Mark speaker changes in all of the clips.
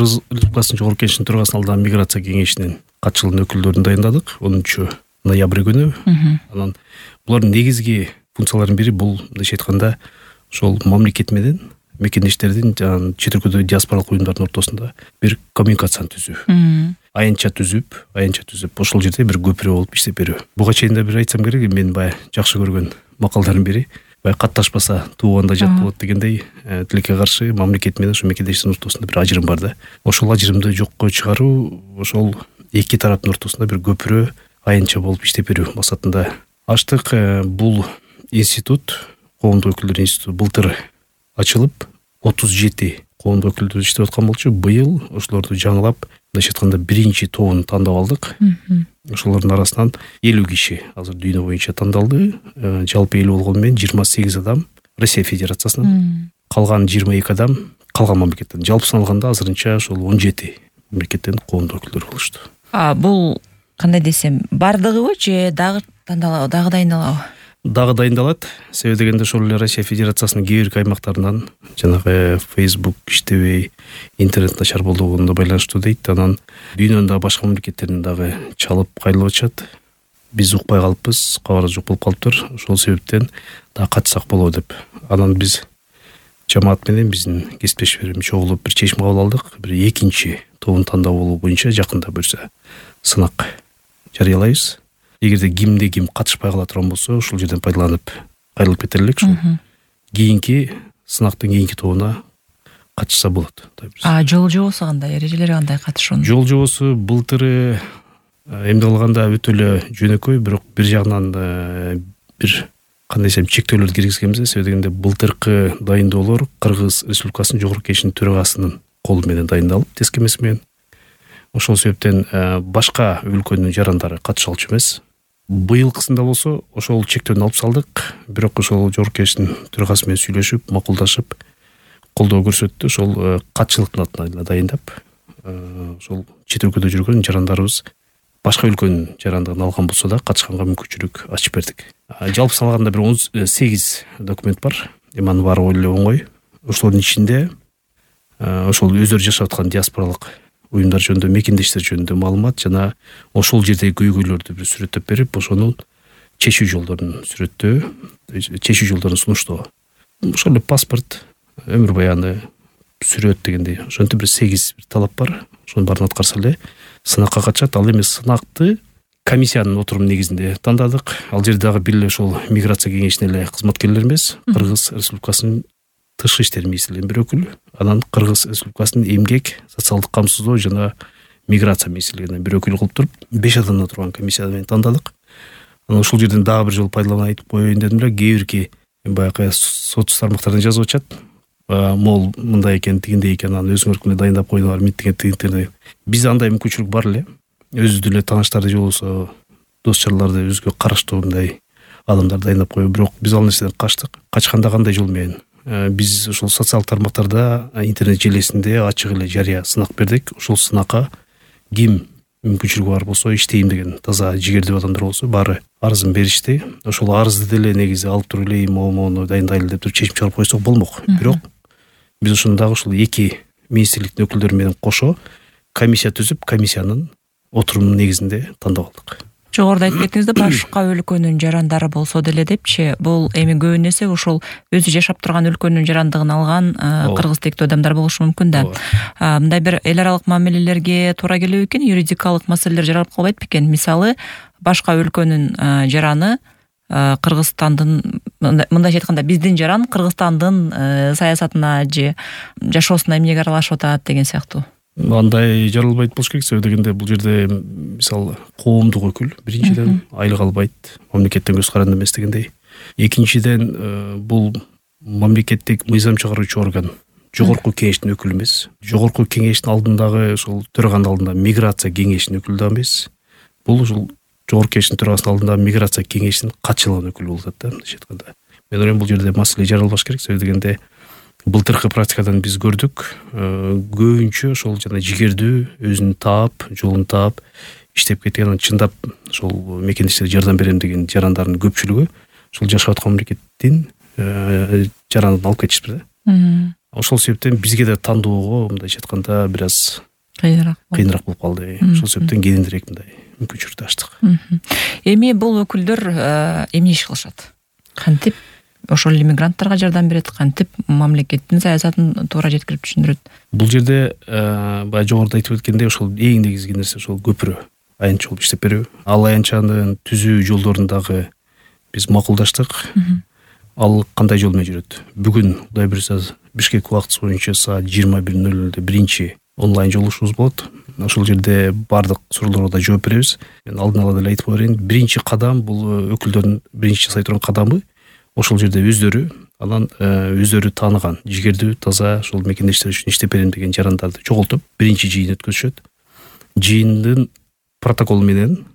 Speaker 1: Кыргыз Республикасынын Жогорку Кеңешинин төрагасынын алдына миграция кеңешинин катчылыгынын өкүлдөрүн дайындадык 10 ноябрь күнү. Анан булардын негизги функцияларынын бири бул мындайча айтканда ошол мамлекет менен мекендештердин жана чет өлкөдөгү диаспоралык уюмдардын ортосунда бир коммуникацияны түзүү. Аянтча түзүп ошол жерде бир көпүрө болуп иштеп берүү. Буга чейин да бир айтсам керек, мен баягы жакшы көргөн макалдардын бири баягы катташпаса тууганда жат болот дегендей, тилекке каршы мамлекет менен ошо мекендештердин ортосунда бир ажырым бар да. Ошол ажырымды жокко чыгаруу, ошол эки тараптын ортосунда бир көпүрө аянтча болуп иштеп берүү максатында ачтык. Бул институт, коомдук өкүлдөр институту былтыр ачылып 37 коомдук өкүлдөр иштеп аткан болчу. Быйыл ошолорду жаңылап, мындайча айтканда биринчи тобун тандап алдык. Ошолордун арасынан 50 киши азыр дүйнө боюнча тандалды. Жалпы эл болгону менен 28 адам Россия Федерациясынан, калган 22 адам калган мамлекеттен. Жалпы саналганда азырынча ошол 17 мамлекеттен коомдук өкүлдөр болушту.
Speaker 2: Бул кандай десем, бардыгыбы же дагы дайындалабы?
Speaker 1: Дагы дайындалат. Себеби дегенде ошол эле Россия Федерациясынын кээ бир аймактарынан жанагы Facebook иштебей, интернет начар болугуна байланыштуу дейт. Анан дүйнөнүн дагы башка мамлекеттеринен дагы чалып кайрылып атышат. Биз укпай калыппыз, кабар жок болуп калыптыр. Ошол себептен дагы катышсак болобу деп. Анан биз жамаат менен биздин кесиптештерим чогулуп бир чечим кабыл алдык. Бир экинчи тобун тандап алуу боюнча жакында буюрса сынак жарыялайбыз. Эгерде ким катышпай кала турган болсо, ушул жерден пайдаланып кайрылып кетер элек. Кийинки сынактын кийинки тобуна катышса болот.
Speaker 2: Жол жобосу кандай, эрежелери кандай катышуунун?
Speaker 1: Жол жобосу былтыры эмне кылганда өтө эле жөнөкөй, бирок бир жагынан бир кандай десем чектөөлөрдү киргизгенбиз. Себеби дегенде былтыркы дайындоолор Кыргыз Республикасынын Жогорку Кеңешинин төрагасынын колу менен дайындалып, тескемеси менен. Ошол себептен башка өлкөнүн жарандары катыша алчу эмес. Быйылкысында болсо ошол чектөөнү алып салдык. Бирок ошол Жогорку Кеңештин төрагасы менен сүйлөшүп, макулдашып, колдоо көрсөттү. Ошол катчылыктын атынан дайындап, ошол чет өлкөдө жүргөн жарандарыбыз башка өлкөнүн жарандыгын алган болсо да катышканга мүмкүнчүлүк ачып бердик. Жалпы салганда бир 18 документ бар. Анын баары эле оңой. Ошолордун ичинде ошол өздөрү жашап аткан диаспоралык уюмдар жөнүндө, мекендештер жөнүндө маалымат жана ошол жердеги көйгөйлөрдү бир сүрөттөп берип, ошонун чечүү жолдорун сүрөттөө, чечүү жолдорун сунуштоо. Ошол эле паспорт, өмүр баяны, сүрөт дегендей, ошентип бир 8 талап бар. Ошонун баарын аткарса эле сынакка катышат. Ал эми сынакты комиссиянын отуруму негизинде тандадык. Ал жерде дагы бир эле ошол миграция кеңешинин эле кызматкерлери эмес, Кыргыз Республикасынын тышкы иштер министрлигинин бир өкүлү, анан Кыргыз Республикасынын эмгек, социалдык камсыздоо жана миграция министрлигинин бир өкүлү кылып туруп 5 адамдан турган комиссия менен тандадык. Анан ушул жерден дагы бир жолу пайдаланып айтып коеюн дедим эле. Кээ бирки баягы соц тармактардан жазып атышат. Мол мындай экен, тигиндей экен, анан өзүңөр күнү дайындап койдуңар, миттеген. Бизде андай мүмкүнчүлүк бар эле. Өзүбүздүн эле тааныштарды же болбосо дос чарларды өзгө караштуу мындай адамдар дайындап коюу. Бирок биз ал нерседен качтык. Качканда кандай жол менен? Биз ошол социалдык тармактарда, интернет желесинде ачык эле жарыя сынак бердик. Ошол сынакка ким мүмкүнчүлүгү бар болсо, иштейм деген таза жигердүү адамдар болсо, баары арызын беришти. Ошол арызды деле негизи алып туруп эле могуну дайындайлы деп туруп чечим чыгарып койсок болмок. Бирок биз ошондо дагы ушул эки министрликтин өкүлдөрү менен кошо комиссия түзүп, комиссиянын отурумунун негизинде тандап алдык.
Speaker 2: Жогоруда айтып кеттиңиз да, башка өлкөнүн жарандары болсо деле депчи, бул эми көбүн эсе ошол өзү жашап турган өлкөнүн жарандыгын алган кыргыз тектүү адамдар болушу мүмкүн да. Мындай бир эл аралык мамилелерге туура келеби экен, юридикалык маселелер жаралып калбайт бекен? Мисалы, башка өлкөнүн жараны Кыргызстандын, мындайча айтканда, биздин жаран Кыргызстандын саясатына же жашоосуна эмнеге аралашып атат деген сыяктуу.
Speaker 1: Андай жаралбайт болуш керек. Себеби дегенде бул жерде мисалы коомдук өкүл биринчиден айлык албайт, мамлекеттен көз каранды эмес дегендей. Экинчиден бул мамлекеттик мыйзам чыгаруучу орган, Жогорку Кеңештин өкүлү эмес. Жогорку Кеңештин алдындагы ошол төраганын алдында миграция кеңешинин өкүлү да эмес. Бул ушул Жогорку Кеңештин төрагасынын алдында миграция кеңешинин катчылыгынын өкүлү болуп атат да, мындайча айтканда. Мен ойлойм бул жерде маселе жаралбаш керек. Себеби дегенде былтыркы практикадан биз көрдүк, көбүнчө ошол жана жигердүү, өзүн таап, жолун таап иштеп кеткен, чындап ошол мекендештерге жардам берем деген жарандардын көпчүлүгү ошол жашап аткан мамлекеттин жаранын алып кетишиптир да. Ошол себептен бизге да тандоого мындайча айтканда бир аз кыйыныраак болуп калды. Ошол себептен кененирээк мындай мүмкүнчүлүктү ачтык.
Speaker 2: Эми бул өкүлдөр эмне иш кылышат? Кантип ошол иммигранттарга жардам берет, кантип мамлекеттин саясатын туура жеткирип түшүндүрөт?
Speaker 1: Бул жерде баягы жогоруда айтып өткендей ошол эң негизги нерсе ошол көпүрө аянтча болуп иштеп берүү. Ал аянтчанын түзүү жолдорун дагы биз макулдаштык. Ал кандай жол менен жүрөт? Бүгүн Кудай буйрса Бишкек убактысы боюнча саат 21:00 биринчи онлайн жолугушуубуз болот. Ошол жерде бардык суроолорго да жооп беребиз. Мен алдын ала деле айтып берейин, биринчи кадам бул өкүлдөрдүн биринчи жасай турган кадамы ошол жерде өздөрү анан өздөрү тааныган жигердүү таза ошол мекендештер үчүн иштеп берем деген жарандарды чогултуп биринчи жыйын өткөзүшөт. Жыйындын протоколу менен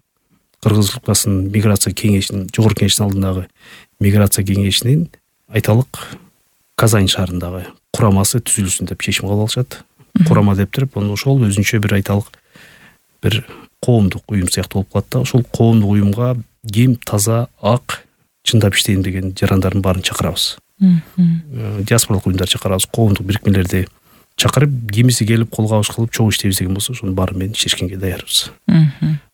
Speaker 1: Кыргыз Республикасынын миграция кеңешинин жогорку кеңештин алдындагы миграция кеңешинин айталык Казань шаарындагы курамасы түзүлсүн деп чечим кабыл алышат. Курама деп туруп, ошол өзүнчө бир айталык бир коомдук уюм сыяктуу болуп калат да. Ошол коомдук уюмга ким таза ак чындап иштейм деген жарандардын баарын чакырабыз. Диаспоралык уюмдарды чакырабыз, коомдук бирикмелерди чакырып, кимиси келип кол кабыш кылып чогуу иштейбиз деген болсо, ошонун баары менен иштешкенге даярбыз.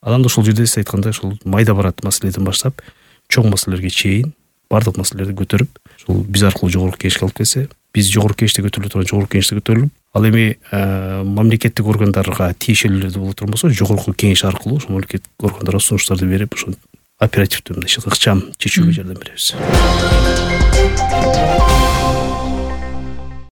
Speaker 1: Анан ошол жерде сиз айткандай ошол майда барат маселеден баштап чоң маселелерге чейин бардык маселелерди көтөрүп, ошол биз аркылуу жогорку кеңешке алып келсе, биз жогорку кеңеште көтөрүлө турган жогорку кеңеште көтөрүлүп, ал эми мамлекеттик органдарга тиешелүүлөрдү боло турган болсо, жогорку кеңеш аркылуу ошол мамлекеттик органдарга сунуштарды берип, ошо оперативдүү мындай ыкчам чечүүгө жардам беребиз.